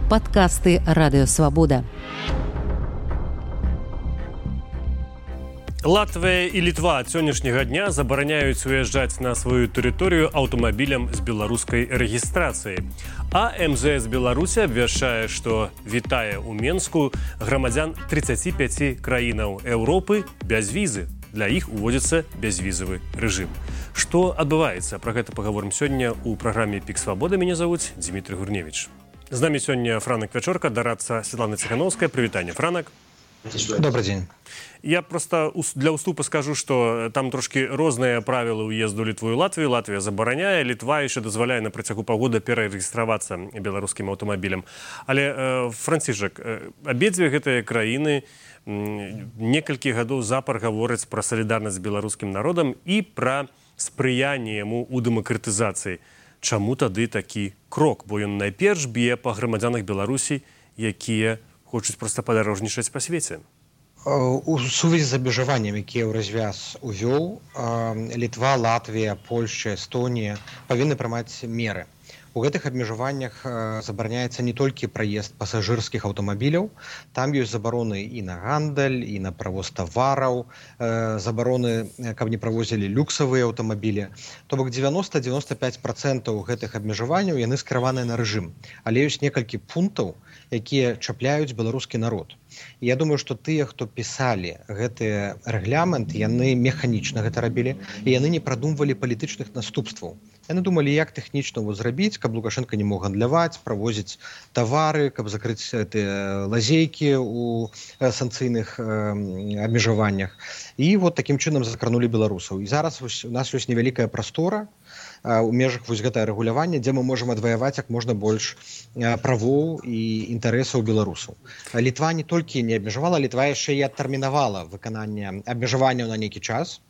Падкасты Радыёвабода. Латвія і Літва ад сённяшняга дня забараняюць уязджаць на сваю тэрыторыю аўтамабілям з беларускай рэгістрацыяй. А МЗС Беларусі абвяшчае, што вітае ў Менску грамадзян 35 краінаў Еўропы без візы. Для іх уводзіцца бязвізавы рэжым. Што адбываецца? Пра гэта пагаворым сёння ў праграме «Пік Свабода». Мяне завуць Дмітрий Гурневіч. З намі сёння Франак Вячорка, дарадца Светлана Ціхановская. Прывітанне, Франак. Добрый день. Я просто для уступа скажу, что там трошки розныя правілы ўезду Літву і Латвію. Латвія забараняе, Літва яшчэ дазваляе на працягу паўгода перарэгістравацца беларускім аўтамабілем. Але, Францішак, абедзве гэтыя краіны некалькі гадоў запар гавораць пра салідарнасць з беларускім народам і пра спрыянне яму ў дэмакратызацыі. Чаму тады такі крок? Бо ён найперш б'е па грамадзянах Беларусі, якія хочуць проста падарожнічаць па свеце. У сувязі з абмежаваннем, які Еўразвяз увёў, Літва, Латвія, Польшча, Эстонія павінны прымаць меры. У гэтых абмежаваннях забараняецца не толькі праезд пасажырскіх аўтамабіляў, там ёсць забароны і на гандаль, і на правоз тавараў, забароны, каб не правозілі люксавыя аўтамабілі. То бок 90-95% гэтых абмежаванняў яны скіраваныя на рэжым. Але ёсць некалькі пунктаў, якія чапляюць беларускі народ. Я думаю, што тыя, хто пісалі гэты рэгламент, яны механічна гэта рабілі, і яны не прадумвалі палітычных наступстваў. Яны думалі, як тэхнічна его зрабіць, каб Лукашенко не мог гандляваць, правозіць тавары, каб закрыць лазейкі ў санкцыйных абмежаваннях. І вот такім чынам закранулі беларусаў. І зараз у нас ёсць невялікая прастора у межах вось гэтае рэгулявання, дзе мы можам адваяваць як можна больш правоў і інтарэсаў беларусаў. Літва не толькі не абмежавала, Літва яшчэ і адтэрмінавала выкананне абмежаванняў на нейкі час.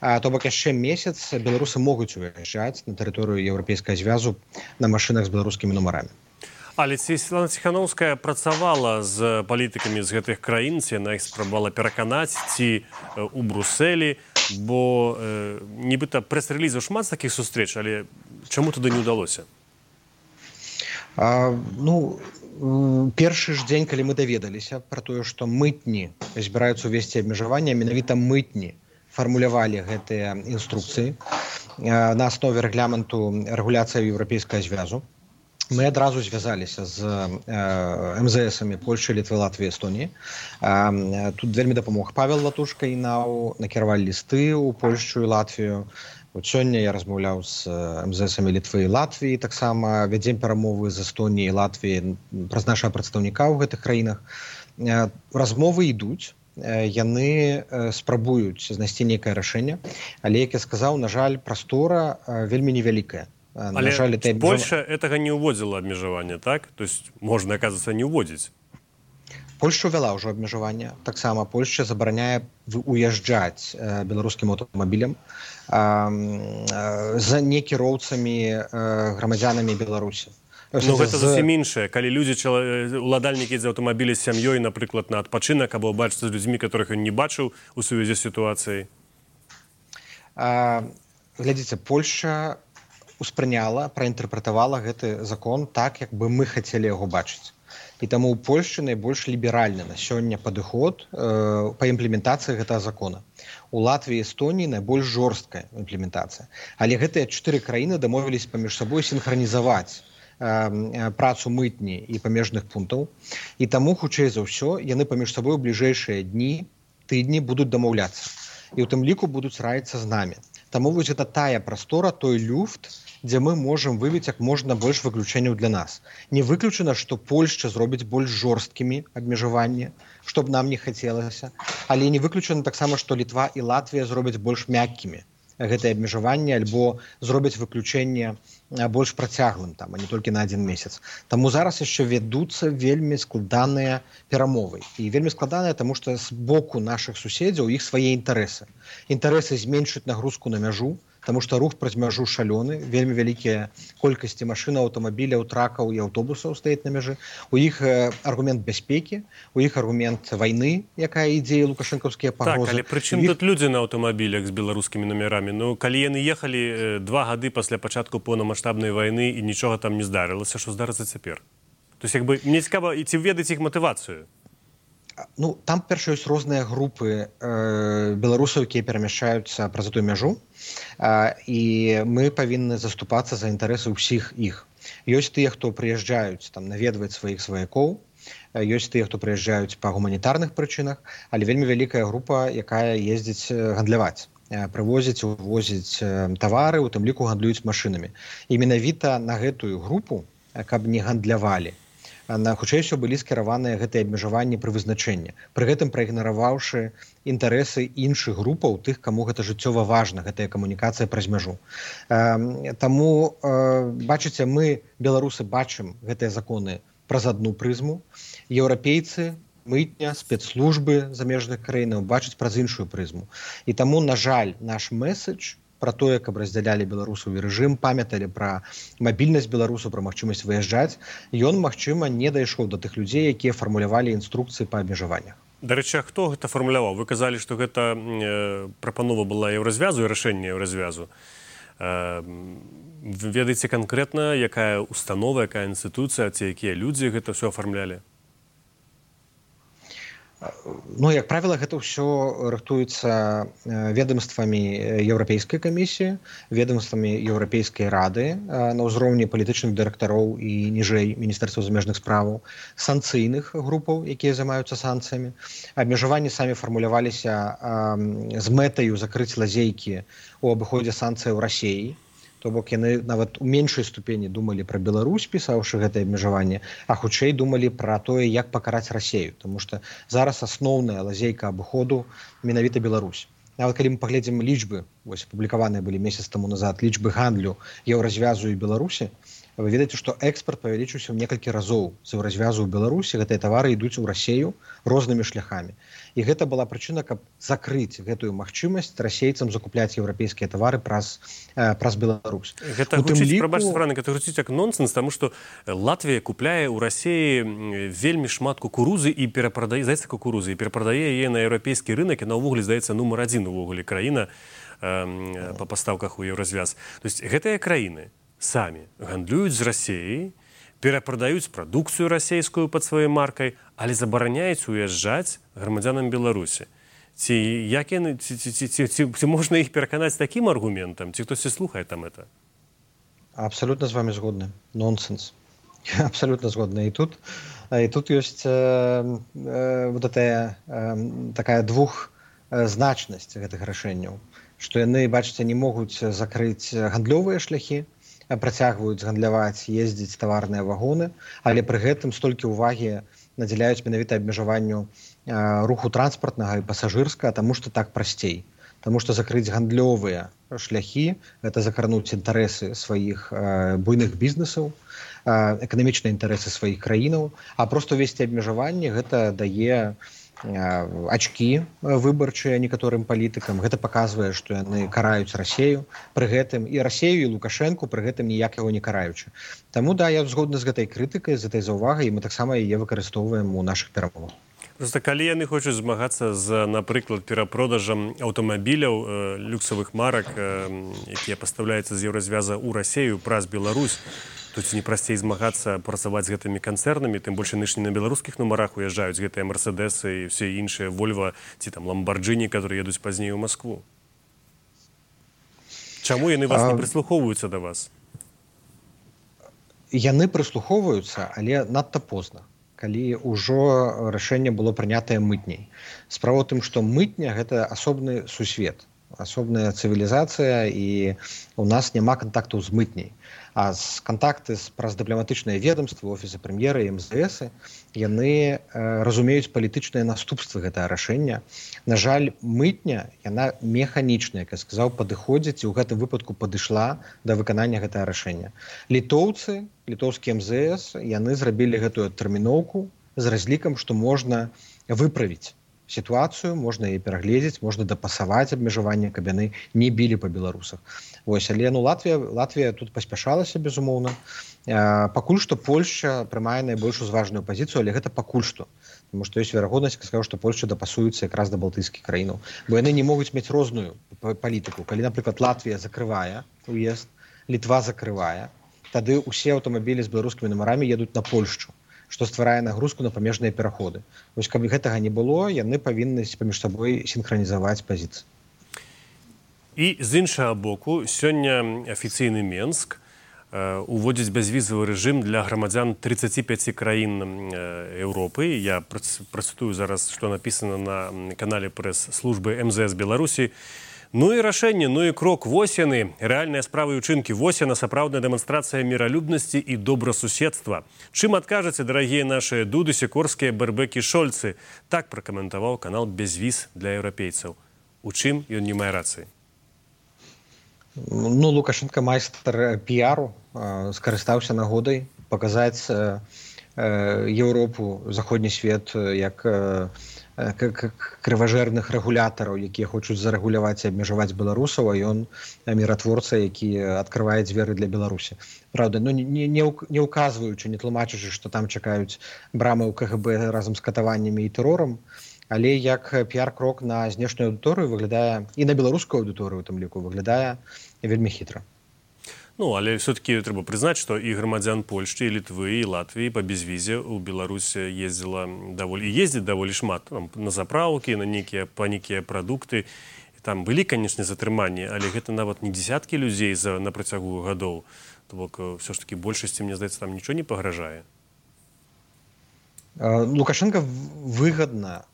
То бок яшчэ месяц беларусы могуць уязджаць на тэрыторыю Еўрапейскага звязу на машынах з беларускімі нумарамі. Але Светлана Ціхановская працавала з палітыкамі з гэтых краін, ці яна іх спрабавала пераканаць, ці ў Брусэлі, бо нібыта прэс-рэлізаў шмат такіх сустрэч, але чаму туды не ўдалося? Першы ж дзень, калі мы даведаліся пра тое, што мытні збіраюцца ўвесці абмежаванне, менавіта мытні фармулявалі гэтыя інструкцыі на аснове рэгламенту рэгуляцыі Еўрапейскага звязу. Мы адразу звязаліся з МЗСамі Польшчы, Літвы, Латвіі, Эстоніі. Тут вельмі дапамог Павел Латушка і накіравалі лісты ў Польшчу і Латвію. Сёння я размаўляў з МЗСамі Літвы і Латвіі, таксама вядзем перамовы з Эстоніяй і Латвіяй праз нашага прадстаўніка ў гэтых краінах. Размовы ідуць, яны спрабуюць знайсці нейкае рашэнне, але, як я сказаў, на жаль, прастора вельмі невялікая. Але Польша гэтага не ўводзіла абмежаванне, так? То есть можна, аказваецца, не ўводзіць. Польша ўвяла ўжо абмежаванне. Таксама Польша забараняе уязджаць беларускім аўтамабілем за некіроўцамі грамадзянамі Беларусі. Гэта зусім іншае. Калі уладальнікі з аўтамабіля з сям'ёй, напрыклад, на адпачынак, або бачыцца з людзьмі, которых ён не бачыў у сувязі з сітуацыяй. Глядзіце, Польша успрыняла, праінтэрпрэтавала гэты закон так, як бы мы хацелі яго бачыць. І таму ў Польшчы найбольш ліберальны на сёння падыход па імплементацыі гэтага закона. У Латвіі і Эстоніі найбольш жорсткая імплементацыя. Але гэтыя 4 краіны дамовіліся паміж сабой сінхранізаваць працу мытні і памежных пунктаў. І таму, хутчэй за ўсё, яны паміж сабой у бліжэйшыя дні, тыдні будуць дамаўляцца. І ў тым ліку будуць раіцца з намі. Таму вось гэта тая прастора, той люфт, дзе мы можам вывець як можна больш выключэнняў для нас. Не выключана, што Польшча зробіць больш жорсткімі абмежаванні, што б нам не хацелася, але не выключана таксама, што Літва і Латвія зробяць больш мяккімі гэтае абмежаванне альбо зробяць выключэнне больш працяглым, а не толькі на 1 месяц. Таму зараз яшчэ вядуцца вельмі складаныя перамовы. І вельмі складаныя, таму што з боку нашых суседзяў іх свае інтарэсы. Інтарэсы зменшыць нагрузку на мяжу, таму што рух праз мяжу шалёны, вельмі вялікія колькасці машын, аўтамабіляў, тракаў і аўтобусаў стаіць на мяжы. У іх аргумент бяспекі, у іх аргумент вайны, якая ідзе, лукашэнкаўскія пагрозы. Так, але прычым тут людзі на аўтамабілях з беларускімі нумерамі? Калі яны ехалі 2 гады пасля пачатку поўнамаштабнай вайны і нічога там не здарылася, што здарыцца цяпер? То есть мне цікаво, і ці ведаеце іх матывацыю? Ну, там, перш, ёсць розныя групы беларусаў, якія перамяшчаюцца праз эту мяжу, і мы павінны заступацца за інтарэсы ўсіх іх. Ёсць тыя, хто прыязджаюць там наведваць сваіх сваякоў, ёсць тыя, хто прыязджаюць па гуманітарных прычынах, але вельмі вялікая група, якая ездзіць гандляваць, прывозіць, увозіць тавары, у тым ліку гандлююць машынамі. І менавіта на гэтую групу, каб не гандлявалі, хутчэй усё былі скіраваныя гэтыя абмежаванні пры вызначэнні, пры гэтым праігнараваўшы інтарэсы іншых групаў, тых, каму гэта жыццёва важна, гэтая камунікацыя праз мяжу. Таму, бачыце, мы, беларусы, бачым гэтыя законы праз адну прызму, еўрапейцы, мытня, спецслужбы замежных краінаў бачаць праз іншую прызму. І таму, на жаль, наш месседж пра тое, каб раздзялялі беларусаў і рэжым, памяталі пра мабільнасць беларусаў, пра магчымасць выязджаць, ён, магчыма, не дайшоў да тых людзей, якія фармулявалі інструкцыі па абмежаваннях. Дарэчы, хто гэта фармуляваў? Вы казалі, што гэта прапанова была еўразвязу і рашэнне еўразвязу. Вы ведаеце канкрэтна, якая установа, якая інстытуцыя, ці якія людзі гэта ўсё афармлялі? Ну, як правіла, гэта ўсё рыхтуецца ведомствамі Еўрапейскай камісіі, ведомствамі Еўрапейскай рады на ўзроўні палітычных дырэктароў і ніжэй Міністэрства замежных справаў, санкцыйных групаў, якія займаюцца санкцыямі. Абмежаванні самі фармуляваліся з мэтаю закрыць лазейкі ў абыходзе санкцыяў Расіі. То бок яны нават у меншай ступені думалі пра Беларусь, пісаўшы гэтае абмежаванне, а хутчэй думалі пра тое, як пакараць Расію, таму што зараз асноўная лазейка абыходу менавіта Беларусь. Нават калі мы паглядзім лічбы, вось апублікаваныя былі месяц таму назад, лічбы гандлю еўразвязу і Беларусі, вы ведаеце, што экспарт павялічыўся ў некалькі разоў з еўразвязу ў Беларусі, гэтыя тавары ідуць у Расію рознымі шляхамі. І гэта была прычына, каб закрыць гэтую магчымасць расейцам закупляць еўрапейскія тавары праз Беларусь. Гэта гучыць, прабачце, Франак, гэта гучыць як нонсенс, таму што Латвія купляе ў Расіі вельмі шмат кукурузы і перапрадае, здаецца, кукурузы, і перапрадае яе на еўрапейскі рынак, і на ўвогуле, здаецца, нумар адзін увогуле краіна па пастаўках у еўразвяз. То есть гэтыя краіны самі гандлююць з Расіяй, перапрадаюць прадукцыю расійскую пад сваёй маркай, але забараняюць уязджаць грамадзянам Беларусі. Ці можна іх пераканаць такім аргументам? Ці хтосьці слухае там это? Абсолютно з вами згодны. Нонсенс. Абсолютно згодны. І тут ёсць вот такая двухзначнасць гэтых рашэнняў, што яны, бачыце, не могуць закрыць гандлёвыя шляхі, працягваюць гандляваць, ездзіць таварныя вагоны, але пры гэтым столькі ўвагі надзяляюць менавіта абмежаванню руху транспартнага і пасажырскага, таму што так прасцей. Таму што закрыць гандлёвыя шляхі – гэта закрануць інтарэсы сваіх буйных бізнесаў, эканамічныя інтарэсы сваіх краінаў, а проста весці абмежаванне гэта дае ачкі выбарчыя некаторым палітыкам. Гэта паказвае, што яны караюць Расію пры гэтым, і Расію, і Лукашэнку пры гэтым ніяк яго не караючы. Таму, да, я згодны з гэтай крытыкай, з гэтай заўвагай, і мы таксама яе выкарыстоўваем у нашых перамовах. Просто калі яны хочуць змагацца з, напрыклад, перапродажам аўтамабіляў, люксавых марак, якія пастаўляюцца з еўразвяза ў Расію праз Беларусь, тут не прасцей змагацца працаваць з гэтымі канцэрнамі, тым больш яны ж не на беларускіх нумарах уязджаюць гэтыя Мерседесы і ўсе іншыя Вольва ці там Ламбарджыні, которые едуць пазней у Маскву. Чаму яны вас не прыслухоўваюцца да вас? Яны прыслухоўваюцца, але надта позна, калі ўжо рашэнне было прынятае мытняй. Справа ў тым, што мытня – гэта асобны сусвет, асобная цывілізацыя, і у нас няма кантактаў з мытняй. А кантакты праз дыпламатычныя ведомствы, офісы прэм'ера і МЗС, яны разумеюць палітычныя наступствы гэтага рашэння. На жаль, мытня, яна механічная, як я сказаў, падыходзіць, і ў гэтым выпадку падышла да выканання гэтага рашэння. Літоўцы, літоўскі МЗС, яны зрабілі гэтую тэрміноўку з разлікам, што можна выправіць сітуацыю, можна яе перагледзець, можна дапасаваць абмежаванне, каб яны не білі па беларусах. Вось, але Латвія тут паспяшалася, безумоўна. Пакуль што Польшча прымае найбольш узважную пазіцыю, але гэта пакуль што. Таму што ёсць верагоднасць, сказаў, што Польшча дапасуецца якраз да балтыйскіх краінаў. Бо яны не могуць мець розную палітыку. Калі, напрыклад, Латвія закрывае уезд, Літва закрывае, тады ўсе аўтамабілі з беларускімі нумарамі едуць на Польшчу. што стварае нагрузку на памежныя пераходы. Вось каб гэтага не было, яны павінны паміж сабой сінхранізаваць пазіцыі. І з іншага боку, сёння афіцыйны Менск уводзіць бязвізавы рэжым для грамадзян 35 краін Еўропы. Я працытую зараз, што напісана на канале прэс-службы МЗС Беларусі. Ну і рашэнне, ну і крок. Вось яны, рэальныя справы і ўчынкі. Вось яна, сапраўдная дэманстрацыя міралюбнасці і добрасуседства. Чым адкажаце, дарагія нашы Дуды, Сікорскія, Бербек і Шольцы? Так пракаментаваў канал «Безвіз для еўрапейцаў». У чым ён не мае рацыі? Ну, Лукашенко майстар піару, скарыстаўся нагодай паказаць Еўропу, заходні свет як крыважэрных рэгулятараў, якія хочуць зарэгуляваць і абмежаваць беларусаў, а ён міратворца, які адкрывае дзверы для Беларусі. Праўда, ну, не указваючы, не тлумачачы, што там чакаюць брамы ў КГБ разам з катаваннямі і тэрорам, але як піар-крок на знешнюю аўдыторыю выглядае, і на беларускую аўдыторыю, у тым ліку, выглядае вельмі хітра. Ну, але все-таки трэба прызнаць, што і грамадзян Польшчы, і Літвы, і Латвіі па безвізе ў Беларусь ездзіць даволі шмат. Там, на запраўкі, па нейкія прадукты. Там былі, канечне, затрыманні, але гэта нават не дзесяткі людзей на працягу гадоў. То бок, все ж таки, большасці, мне здаецца, там нічого не пагражае. Лукашенко выгадна,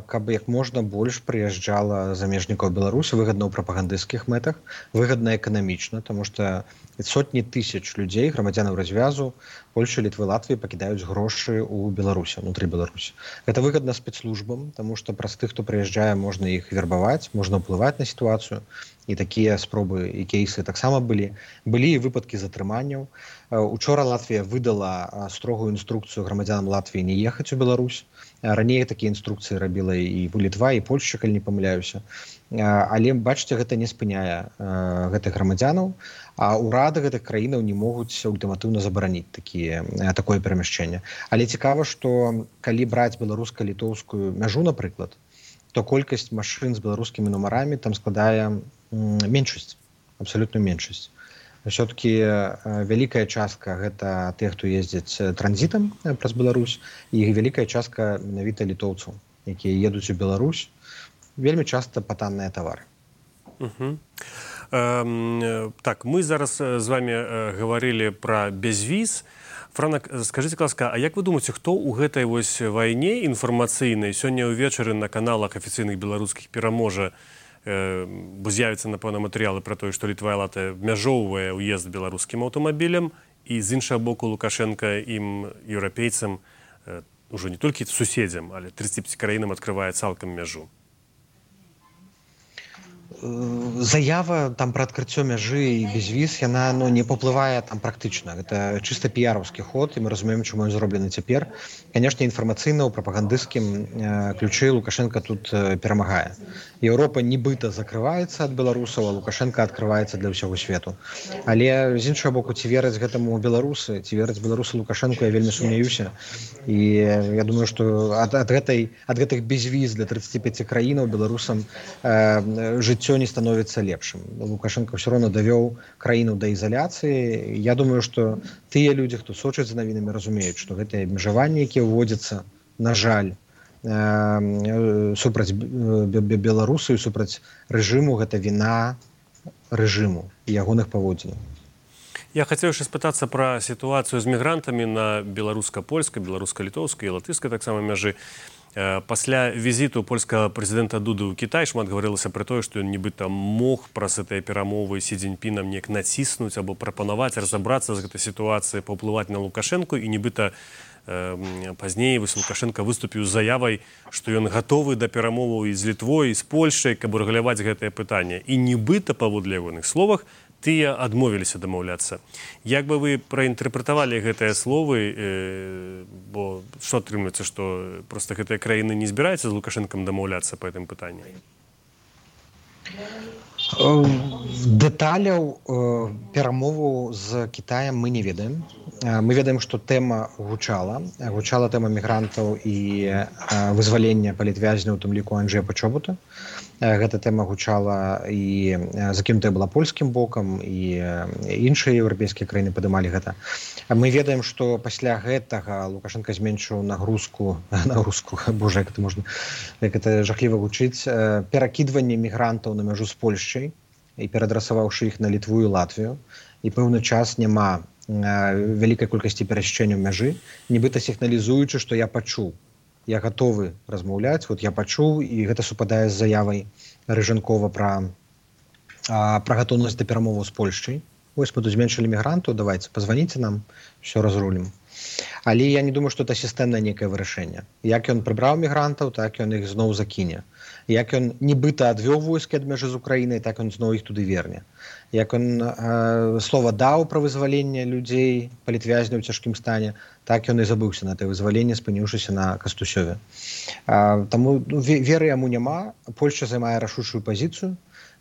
каб як можна больш прыязджала замежнікаў Беларусі, выгадна ў прапагандысцкіх мэтах, выгадна эканамічна, таму што сотні тысяч людзей, грамадзянаў развязу, Польшчы, Літвы, Латвіі пакідаюць грошы ў Беларусі, унутры Беларусі. Гэта выгадна спецслужбам, таму што праз тых, хто прыязджае, можна іх вербаваць, можна ўплываць на сітуацыю. І такія спробы і кейсы таксама былі. Былі і выпадкі затрыманняў. Учора Латвія выдала строгую інструкцыю грамадзянам Латвіі не ехаць у Беларусь. Раней такія інструкцыі рабіла і Літва, і Польшча, калі не памыляюся. Але, бачыце, гэта не спыняе гэтых грамадзянаў, а ўрады гэтых краінаў не могуць ультыматыўна забараніць такое перамяшчэнне. Але цікава, што калі браць беларуска-літоўскую мяжу, напрыклад, то колькасць машын з беларускімі нумарамі там складае меншасць, абсалютную меншасць. Все-таки вялікая частка гэта тых, хто ездзяць транзітам праз Беларусь, і вялікая частка менавіта літоўцаў, якія едуць у Беларусь, вельмі часта па танныя тавары. Так, мы зараз з вами гаварылі пра безвіз. Франак, скажыце, ласка, а як вы думаеце, хто ў гэтай вось вайне інфармацыйнай сёння ўвечары на каналах афіцыйных беларускіх пераможа, бо з'явіцца, напэўна, матэрыялы пра тое, што Літва і Латвія абмяжоўвае ўезд беларускім аўтамабілем, і з іншага боку Лукашенка ім, еўрапейцам, ужо не толькі суседзям, але 35 краінам адкрывае цалкам мяжу? Заява там пра адкрыццё мяжы і безвіз, яна не паўплывае там практычна. Гэта чыста піяраўскі ход, і мы разумеем, чаму ён зроблены цяпер. Канешне, інфармацыйна ў прапагандысцкім ключы Лукашенка тут перамагае. Еўропа нібыта закрываецца ад беларусаў, а Лукашенка адкрываецца для ўсяго свету. Але з іншага боку, ці вераць гэтаму беларусы, ці вераць беларусы Лукашенку, я вельмі сумняюся. І я думаю, што ад гэтых безвіз для 35 краінаў беларусам жыццё не становіцца лепшым. Лукашенко ўсё роўна давёў краіну да ізаляцыі. Я думаю, што тыя людзі, хто сочыць за навінамі, разумеюць, што гэтыя абмежаванні, якія ўводзяцца, на жаль, супраць беларусаў, супраць рэжыму, гэта віна рэжыму і ягоных паводзінаў. Я хацеў яшчэ спытацца пра сітуацыю з мігрантамі на беларуска-польскай, беларуска-літоўскай і латышскай таксама мяжы. Пасля візіту польскага прэзідэнта Дуды ў Кітай шмат гаварылася пра тое, што ён нібыта мог праз гэтыя перамовы Сі Цзіньпінам неяк націснуць або прапанаваць разабрацца з гэтай сітуацыяй, паўплываць на Лукашэнку, і нібыта пазней Лукашенко выступіў з заявай, што ён гатовы да перамоваў і з Літвой, і з Польшчай, каб урэгуляваць гэтае пытанне. І нібыта, паводле ягоных словах, тыя адмовіліся дамаўляцца. Як бы вы праінтэрпрэтавалі гэтыя словы, бо што атрымліваецца, што проста гэтыя краіны не збіраюцца з Лукашэнкам дамаўляцца па гэтым пытанні? Дэталяў перамоваў з Кітаем мы не ведаем. мы ведаем, што тэма гучала тэма мігрантаў і вызвалення палітвязняў, у тым ліку Анджэя Пачобута. Гэта тэма гучала і закінутая была польскім бокам, і іншыя еўрапейскія краіны падымалі гэта. Мы ведаем, што пасля гэтага Лукашенко зменшыў нагрузку, божа, як это жахліва гучыць, перакідванне мігрантаў на мяжу з Польшчай і перадрасаваўшы іх на Літву і Латвію. І пэўны час няма вялікай колькасці перасечэнняў мяжы, нібыта сігналізуючы, што я пачуў, я гатовы размаўляць, я пачуў, і гэта супадае з заявай Рыжанкова пра гатоўнасць да перамоваў з Польшчай. Вось мы тут зменшылі мігрантаў, давайце, пазваніце нам, все разрулім. Але я не думаю, што это сістэмнае нейкае вырашэнне. Як ён прыбраў мігрантаў, так ён іх зноў закіне. Як ён нібыта адвёў войскі ад мяжы з Украінай, так ён зноў іх туды верне. Як ён слова даў пра вызваленне людзей, палітвязняў у цяжкім стане, так ён і забыўся на тое вызваленне, спыніўшыся на Кастусёве. Таму веры яму няма. Польшча займае рашучую пазіцыю.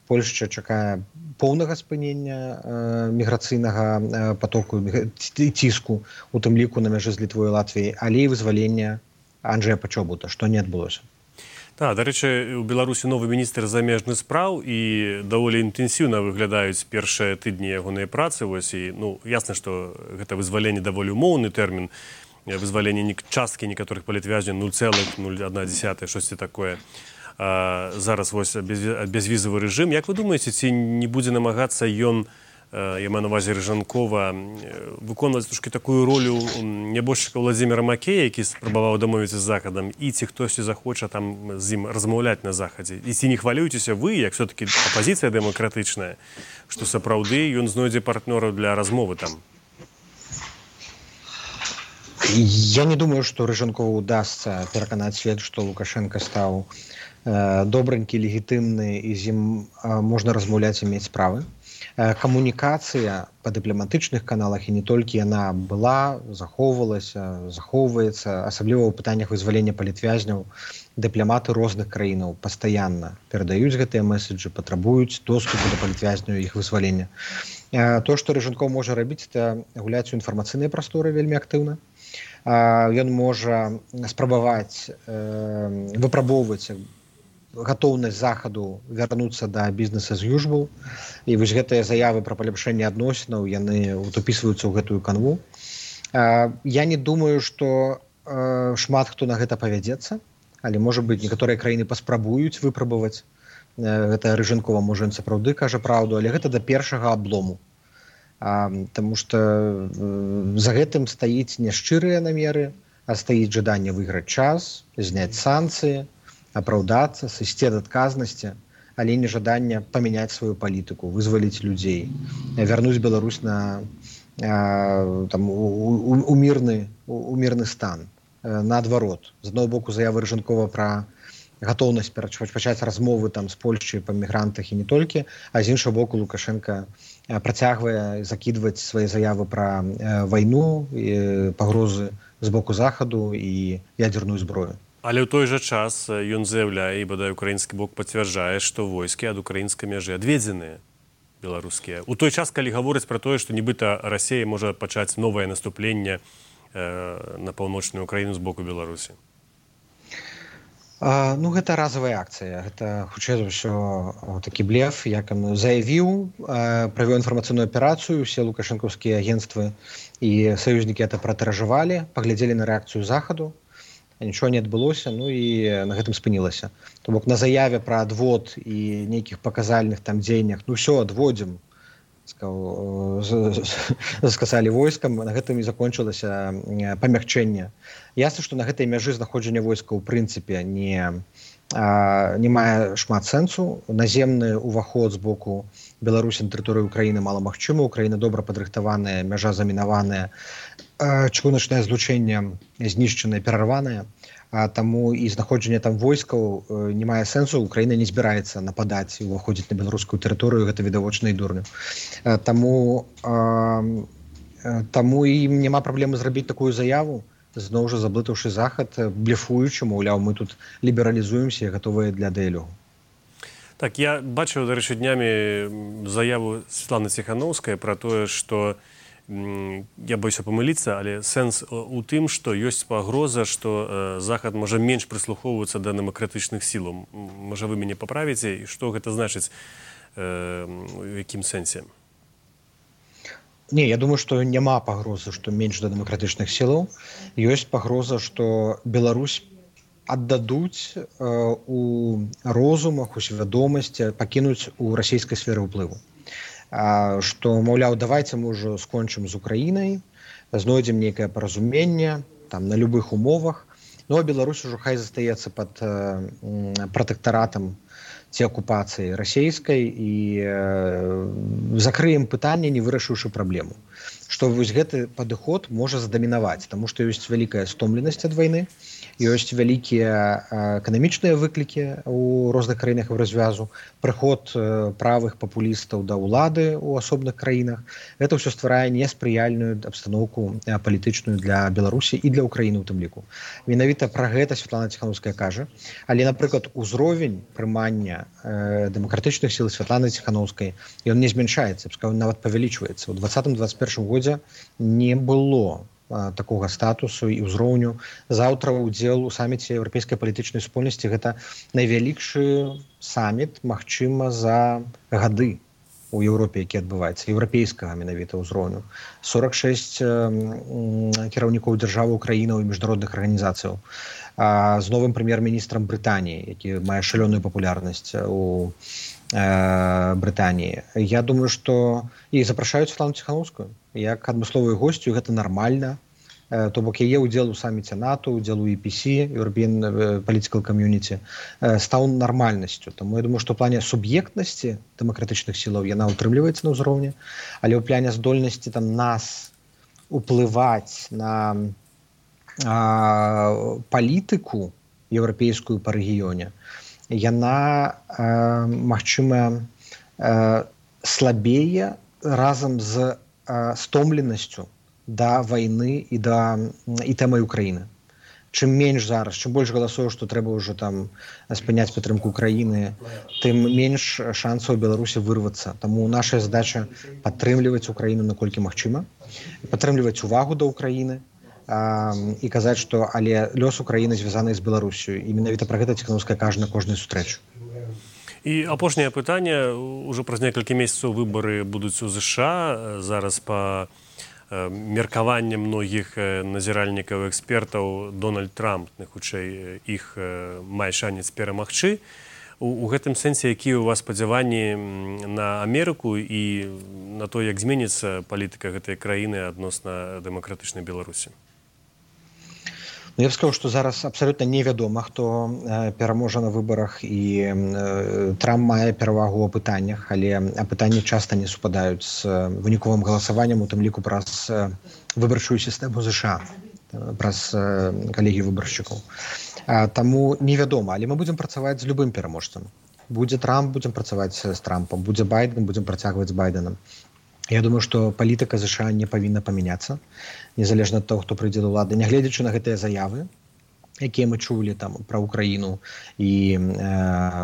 Польшча чакае поўнага спынення міграцыйнага потоку і ціску, у тым ліку на мяжы з Літвой і Латвіяй, але і вызвалення Анджэя Пачобута, што не адбылося. Так, дарэчы, у Беларусі новы міністр замежных спраў і даволі інтэнсіўна выглядаюць першыя тыдні ягонай працы. Ясна, што гэта вызваленне даволі умоўны тэрмін, вызваленне часткі некаторых палітвязняў 0,01, штосьці такое. Зараз безвізавы рэжым. Як вы думаеце, ці не будзе намагацца ён, я маю на ўвазе Рыжанкова, выконваць трошкі такую ролю нябожчыка Владзіміра Макея, які спрабаваў дамовіцца з Захадам, і ці хтосьці захоча там з ім размаўляць на Захадзе? І ці не хвалюецеся вы, як все-таки апазіцыя дэмакратычная, што сапраўды ён знойдзе партнёраў для размовы там? Я не думаю, што Рыжанкову удасца пераканаць свет, што Лукашенко стаў добренькі, легітымны, і з ім можна размаўляць і мець справы. Камунікацыя па дыпламатычных каналах, і не толькі, яна была, захоўвалася, захоўваецца, асабліва ў пытаннях вызвалення палітвязняў. Дыпламаты розных краінаў пастаянна перадаюць гэтыя меседжы, патрабуюць доступу да палітвязняў і іх вызвалення. То, што Рыжанков можа рабіць, это гуляць у інфармацыйнай прасторы вельмі актыўна. Ён можа спрабаваць выпрабоўваць гатоўнасць Захаду вярнуцца да бізнеса as usual. І вось гэтыя заявы пра паляпшэнне адносінаў, яны упісваюцца ў гэтую канву. Я не думаю, што шмат хто на гэта павядзецца, але, можа быць, некаторыя краіны паспрабуюць выпрабаваць. Гэта Рыжанкова, можа, ён сапраўды кажа праўду, але гэта да першага аблому. Таму што за гэтым стаіць не шчырыя намеры, а стаіць жаданне выйграць час, зняць санкцыі, апраўдацца, сысці ад адказнасці, але не жаданне памяняць сваю палітыку, вызваліць людзей, вярнуць Беларусь у мірны стан. Наадварот, з аднаго боку заявы Рыжанкова пра гатоўнасць пачаць размовы з Польшчай па мігрантах і не толькі, а з іншага боку Лукашенко працягвае закідваць свае заявы пра вайну, пагрозы з боку Захаду і ядзерную зброю. Але ў той жа час ён заяўляе, і бадай украінскі бок пацвярджае, што войскі ад украінскай мяжы адведзеныя беларускія. У той час, калі гавораць пра тое, што нібыта Расія можа пачаць новае наступленне на паўночную Украіну з боку Беларусі. Гэта разавая акцыя. Гэта, хутчэй за ўсё, такі блеф, як ён заявіў, правёў інфармацыйную аперацыю, усе лукашэнкаўскія агенцтвы і саюзнікі гэта пратыражавалі, паглядзелі на рэакцыю Захаду, нічого не адбылося, і на гэтым спынілася. То бок на заяве пра адвод і нейкіх паказальных дзеяннях, ўсё адводзім, сказалі войскам, на гэтым і закончылася памякчэнне. Ясна, што на гэтай мяжы знаходжання войска ў прынцыпе не мае шмат сэнсу. Наземны ўваход з боку Беларусі на тэрыторыю Украіны маламагчымы. Украіна добра падрыхтаваная, мяжа замінаваная, чыгуначнае злучэнне знішчанае, перарванае. Таму і знаходжанне там войскаў не мае сэнсу. Украіна не збіраецца нападаць і ўваходзіць на беларускую тэрыторыю, гэта відавочна і дурня. Таму ім няма праблемы зрабіць такую заяву, зноў жа заблытаўшы Захад, блефуючы, маўляў, мы тут лібералізуемся і гатовыя для дыялогу. Так, я бачыў, дарэчы, днямі заяву Светланы Ціханаўскай пра тое, што я боюся памыліцца, але сэнс у тым, што ёсць пагроза, што Захад можа менш прыслухоўвацца да дэмакратычных сілаў. Можа, вы мяне паправіце, і што гэта значыць, у якім сэнсе? Не, я думаю, што няма пагрозы, што менш да дэмакратычных сілаў. Ёсць пагроза, што Беларусь аддадуць у розумах, у свядомасці, пакінуць у расійскай сферы ўплыву. Што, маўляў, давайце мы ўжо скончым з Украінай, знойдзем нейкае паразуменне там на любых умовах, ну а Беларусь ужо хай застаецца пад пратэктаратам ці акупацыі расійскай і закрыем пытанне, не вырашыўшы праблему. Што вось гэты падыход можа задамінаваць, таму што ёсць вялікая стомленасць ад вайны, ёсць вялікія эканамічныя выклікі ў розных краінах развязу, прыход правых папулістаў да ўлады ў асобных краінах. Гэта ўсё стварае неспрыяльную абстаноўку палітычную для Беларусі і для Украіны ў тым ліку. Менавіта пра гэта Святлана Ціханаўская кажа, але, напрыклад, узровень прымання дэмакратычных сіл Святланы Ціханаўскай, ён не змяншаецца, нават павялічваецца. У 2020-2021 годзе не было такога статусу і ўзроўню. Заўтра ўдзел у саміце еўрапейскай палітычнай супольнасці гэта найвялікшы саміт, магчыма, за гады у Еўропе, які адбываецца, еўрапейскага менавіта ўзроўню. 46 кіраўнікоў дзяржавы Украінаў і міжнародных арганізацыяў. З новым прэм'ер-міністрам Брытаніі, які мае шалёную папулярнасць у Брытаніі. Я думаю, што і запрашаюць Святлану Ціханаўскую як адмысловую госцю, гэта нармальна. То бок яе ўдзел у саміце НАТО, ўдзел у EPC, European Political Community, стаў нармальнасцю. Таму я думаю, што ў плане суб'ектнасці дэмакратычных сілаў яна ўтрымліваецца на ўзроўні, але ў плане здольнасці там нас уплываць на палітыку еўрапейскую па рэгіёне, яна, магчыма, слабее разам з стомленасцю да вайны і тэмай Украіны. Чым менш зараз, чым больш галасоў, што трэба ўжо там спыняць падтрымку Украіны, тым менш шансаў Беларусі вырвацца. Таму наша задача падтрымліваць Украіну наколькі магчыма, падтрымліваць увагу да Украіны і казаць, што але лёс Украіны звязаны з Беларусю. І менавіта пра гэта Ціханаўская кажа на кожнай сустрэчы. І апошняе пытанне. Ужо праз некалькі месяцаў выбары будуць у ЗША. Зараз па меркаванням многіх назіральнікаў, экспертаў, Дональд Трамп, хутчэй, іх мае шанец перамагчы. У гэтым сэнсе, якія ў вас спадзяванні на Амерыку і на то, як зменіцца палітыка гэтай краіны адносна дэмакратычнай Беларусі? Я б сказаў, што зараз абсалютна невядома, хто пераможа на выбарах, і Трамп мае перавагу ў пытаннях, але пытанні часта не супадаюць з выніковым галасаваннем, у тым ліку праз выбарчую сістэму ЗША, праз калегію выбаршчыкаў. Таму невядома, але мы будзем працаваць з любым пераможцам. Будзе Трамп, будзем працаваць з Трампам, будзе Байден, будзем працягваць з Байденам. Я думаю, што палітыка ЗША не павінна памяняцца, незалежна ад таго, хто прыйдзе да ўлады, нягледзячы на гэтыя заявы, якія мы чулі там пра Украіну і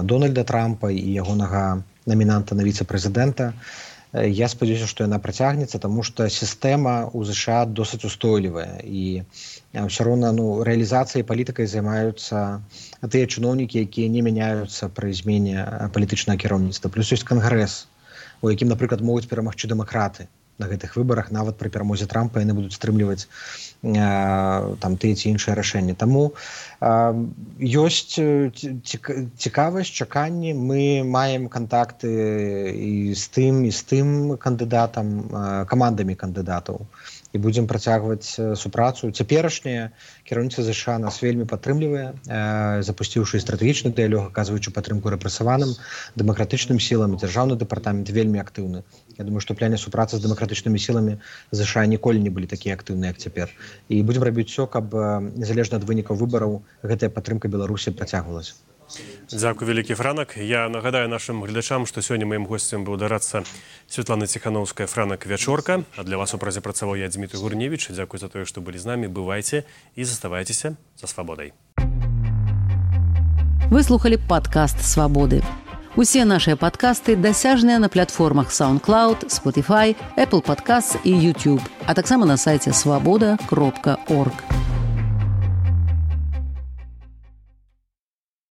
Дональда Трампа і ягонага намінанта на віцэ-прэзідэнта. Я спадзяюся, што яна працягнецца, таму што сістэма ў ЗША досыць устойлівая, і ўсё роўна рэалізацыяй палітыкай займаюцца тыя чыноўнікі, якія не мяняюцца пры змене палітычнага кіраўніцтва. Плюс ёсць кангрэс, у якім, напрыклад, могуць перамагчы дэмакраты на гэтых выбарах, нават пры перамозе Трампа яны будуць стрымліваць там тыя ці іншыя рашэнні. Таму ёсць цікавасць, чаканні. Мы маем кантакты і з тым кандыдатам, камандамі кандыдатаў, і будзем працягваць супрацу. Цяперашняе кіраўніцтва ЗША нас вельмі падтрымлівае, запусціўшы стратэгічны дыялог, аказваючы падтрымку рэпрэсаваным, дэмакратычным сілам, дзяржаўны дэпартамент вельмі актыўны. Я думаю, што ў пляне супрацы з дэмакратычнымі сіламі ЗША ніколі не былі такія актыўныя, як цяпер. І будзем рабіць усё, каб незалежна ад вынікаў выбараў гэтая падтрымка Беларусі працягвалася. Дзякуй, вялікі Франак. Я нагадаю нашым гледачам, што сёння маім госцем быў дарадца Святлана Ціханаўская, Франак Вячорка. А для вас у празе працаваў я, Дзмітрый Гурневіч. Дзякуй за тое, што былі з намі. Бывайце і заставайцеся за свабодай. Вы слухали падкаст «Свабоды». Усе нашыя падкасты дасяжныя на платформах SoundCloud, Spotify, Apple Podcasts і YouTube, а таксама на сайце swaboda.org.